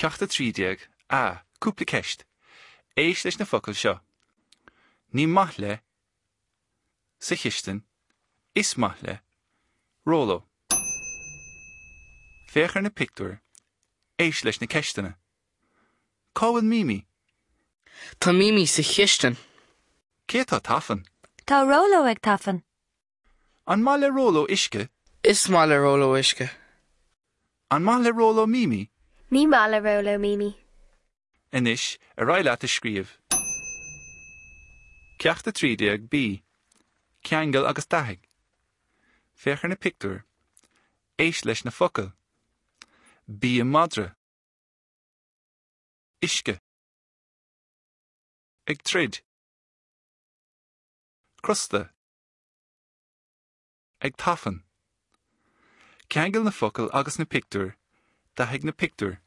Ceacht 13, A, Cúpla ceist. Éist leis na focail seo. Ní maith le. Sa chistin. Is maith le. Róló. Féach ar na pictiúir. Éist leis na ceisteanna. Cá bhfuil Mimi? Tá Mimi sa chistin. Cé atá ag tafann? Tá Róló ag tafann. An maith le Róló uisce? Is maith le Róló uisce. An maith le Róló Mimi? Ní maith le Róló Mimi. Anois, ar aghaidh leat a scríobh. Ceacht 13 B. Ceangail agus dathaigh. Féach ar na pictiúir. Éist leis na focail. Bia madra. Uisce. Ag troid. Crosta. Ag tafann. Ceangail na focail agus na pictiúir. Dathaigh na pictiúir.